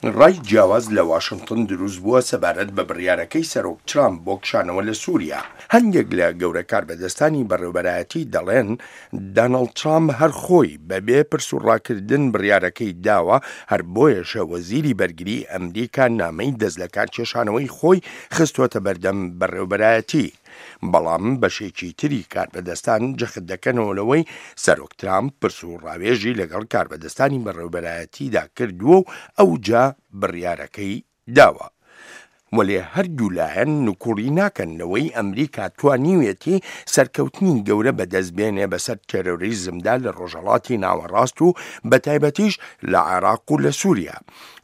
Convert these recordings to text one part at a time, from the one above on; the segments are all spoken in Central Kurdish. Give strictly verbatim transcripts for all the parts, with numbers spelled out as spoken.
ڕای جیاواز لە واشنتن دروست بووە سەبارەت بە بڕیارەکەی سەرۆک ترامپ بۆ کشانەوە لە سووریا. هەندێک لە گەورە کاربەدەستانی بەڕێوبەرایەتی دەڵێن داناڵد ترامپ هەر خۆی بەبێ پرس و ڕاکردن بڕیارەکەی داوە، هەر بۆیەشە وەزیری بەرگری ئەمریکا نامەی دەست لە کارکێشانەوەی خۆی خستووەتە بەردەم بەڕێوبەرایەتی. بەڵام بەشێکی تری کاربەدەستان جەخت دەکەنەوە لەوەی سەرۆک ترامپ پرس و ڕاوێژی لەگەڵ کاربەدەستانی بەڕێوبەرایەتیدا کردووە و ئەوجا بڕیارەکەی داوە. وەلێ هەردوو لایەن نکوڵی ناکەن لەوەی ئەمریکا توانیوێتی سەرکەوتنی گەورە بەدەست بێنێ بەسەر تێرۆریزمدا لە ڕۆژهەڵاتی ناوەڕاست و بەتایبەتیش لە عێراق و لە سووریا.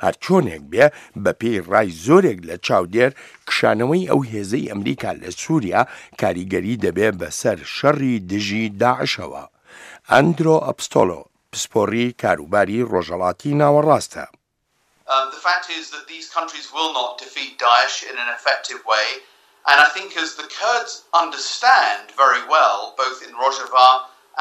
هەرچۆنێک بێ، بەپێی ڕای زۆرێک لە چاودێر، کشانەوەی ئەو هێزەی ئەمریکا لە سووریا کاریگەری دەبێ بەسەر شەڕی دژی داعشەوە. ئەندرۆ ئەپستۆلۆ پسپۆڕی کاروباری ڕۆژهەڵاتی ناوەڕاستە. Um, the fact is that these countries will not defeat Daesh in an effective way. And I think as the Kurds understand very well, both in Rojava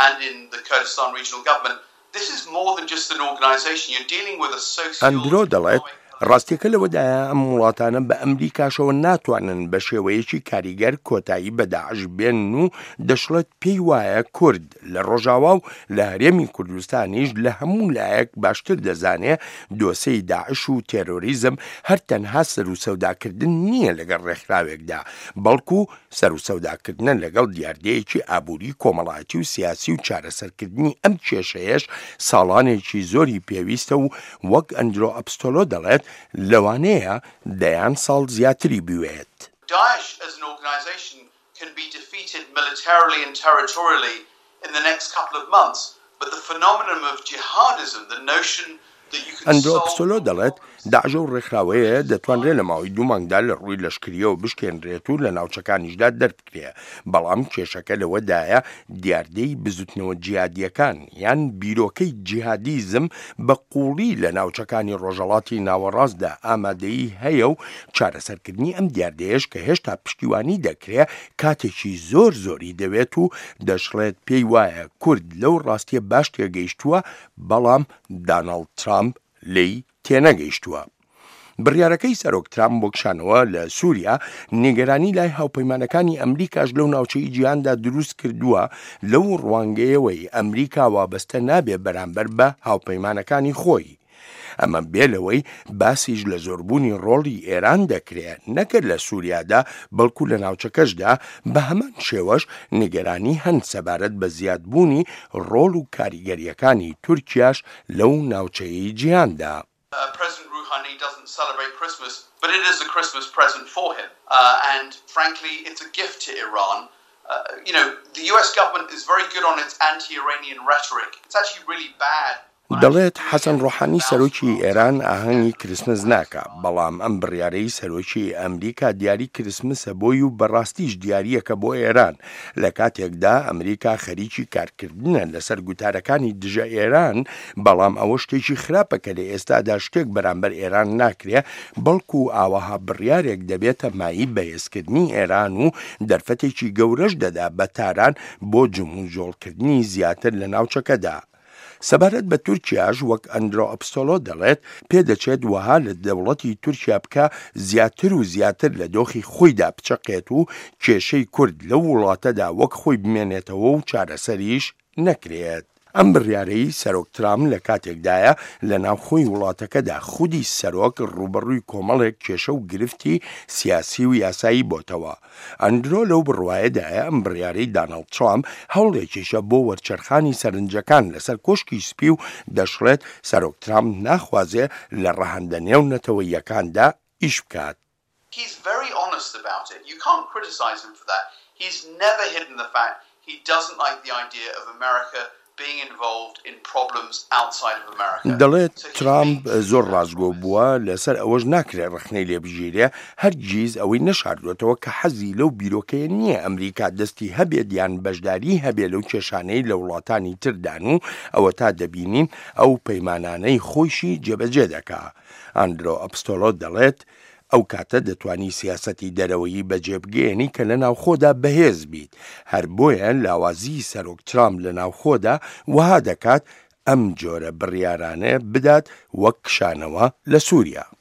and in the Kurdistan regional government, this is more than just an organization. You're dealing with a social... ئەندرۆ دەڵێت ڕاستیەکە لەوەدایە ئەم وڵاتانە بە ئەمریکاشەوە ناتوانن بە شێوەیەکی کاریگەر کۆتایی بە داعش بێنن و دەشڵێت پێی وایە کورد لە ڕۆژاوا و لە هەرێمی کوردستانیش لە هەموو لایەک باشتر دەزانێ دۆسێی داعش و تێرۆریزم هەر تەنها سەر و سەوداکردن نییە لەگەڵ ڕێکخراوێکدا، بەڵکو سەر و سەوداکردنە لەگەڵ دیاردەیەکی ئابووری کۆمەڵایەتی و سیاسی و چارەسەرکردنی ئەم کێشەیەش ساڵانێکی زۆری پێویستە و وەک ئەندرۆ ئەپستۆلۆ دەڵێت لەوانەیە دەیان ساڵ زیاتری بوێت. Daesh as an organization can be defeated militarily and territorially in the next couple of months, but the phenomenon of jihadism, the notion that you can ئەندرۆ solve ئەپستۆلۆ دەڵێت داعش ئەو ڕێکخراوەیە دەتوانرێت لە ماوەی دوو مانگدا لە ڕووی لەشکریەوە بشکێنرێت و لە ناوچەکانیشدا دەربکرێ، بەڵام کێشەکە لەوەدایە دیاردەی بزوتنەوە جیهادیەکان یان بیرۆکەی جیهادیزم بە قوڵی لە ناوچەکانی ڕۆژهەڵاتی ناوەڕاستدا ئامادەیی هەیە و چارەسەرکردنی ئەم دیاردەیەش کە هێشتا پشتیوانی دەکرێ کاتێکی زۆر زۆری دەوێت و دەشڵێت پێی وایە کورد لەو ڕاستیە باش تێگەیشتووە، بەڵام داناڵد ترامپ لێی تێنەگەیشتووە. بڕیارەکەی سەرۆک ترامپ بۆ کشانەوە لە سووریا نیگەرانی لای هاوپەیمانەکانی ئەمریکاش لەو ناوچەی جیهاندا دروست کردووە، لەو ڕوانگەیەوەی ئەمریکا وابەستە نابێ بەرامبەر بە هاوپەیمانەکانی خۆی. ئەمە بێ لەوەی باسیش لە زۆربوونی ڕۆڵی ئێران دەکرێت نەکە لە سووریادا بەڵکو لە ناوچەکەشدا، بە هەمان شێوەش نیگەرانی هەن سەبارەت بە زیادبوونی ڕۆڵ و کاریگەریەکانی تورکیاش لەو ناوچەیەی جیهاندا. Uh, President Rouhani doesn't celebrate Christmas, but it is a Christmas present for him. Uh, and frankly, it's a gift to Iran. Uh, you know, the U S government is very good on its anti-Iranian rhetoric. It's actually really bad. دەڵێت حەسەن ڕۆحانی سەرۆکی ئێران ئاهەنگی کریسمس ناکا، بەڵام ئەم بڕیارەی سەرۆکی ئەمریکا دیاری کریسمسە بۆی و بەڕاستیش دیاریەکە بۆ ئێران، لە کاتێکدا ئەمریکا خەریکی کارکردنە لەسەر گوتارەکانی دژە ئێران، بەڵام ئەوە شتێکی خراپە کە لە ئێستادا شتێک بەرامبەر ئێران ناکرێ، بەڵکو ئاوەها بڕیارێک دەبێتە مایەی بەهێزکردنی ئێران و دەرفەتێکی گەورەش دەدا بە تاران بۆ جموجۆڵکردنی زیاتر لە ناوچەکەدا. سەبارەت بە تورکیاش وەک ئەندرۆ ئەپستۆلۆ دەڵێت پێدەچێت وەها لە دەوڵەتی تورکیا بکە زیاتر و زیاتر لە دۆخی خۆیدا بچەقێت و کێشەی کورد لەو وڵاتەدا وەک خۆی بمێنێتەوە و چارەسەریش نەکرێت. ئەم بڕیارەی سەرۆک ترامپ لە کاتێکدایە لە ناوخۆی وڵاتەکەدا خودی سەرۆک ڕووبەڕووی کۆمەڵێک کێشە و گرفتی سیاسی و یاسایی بۆتەوە. ئەندرۆ لەو بڕوایەدایە ئەم بڕیارەی داناڵد ترامپ هەوڵێکیشە بۆ وەرچەرخانی سەرنجەکان لەسەر کۆشکی سپی و دەشڵێت سەرۆک ترامپ ناخوازێ لە ڕەهەندە نێونەتەوەیەکاندا ئیش بکات. He's very honest about it. You can't criticize him for that. He's never hidden the fact he doesn't like the idea of America being involved in problems outside of America. دەڵێت ترامپ زۆر ڕاستگۆ بووە، لەسەر ئەوەش ناکرێت ڕەخنەی لێ بگیرێ، هەرگیز ئەوەی نەشاردوێتەوە کە حەزی لەو بیرۆکەیە نییە ئەمریکا دەستی هەبێت یان بەشداری هەبێ لەو کێشانەی لە وڵاتانی تردان و ئەوە تا دەبینین ئەو پەیمانانەی خۆیشی جێبەجێ دەکا. ئەندرۆ ئەپستۆلۆ دەڵێت ئەو کاتە دەتوانی سیاسەتی دەرەوەیی بەجێبگەیەنی کە لە ناوخۆدا بەهێز بیت، هەر بۆیە لاوازی سەرۆک ترامپ لە ناوخۆدا وەها دەکات ئەم جۆرە بڕیارانە بدات وەک کشانەوە لە سووریا.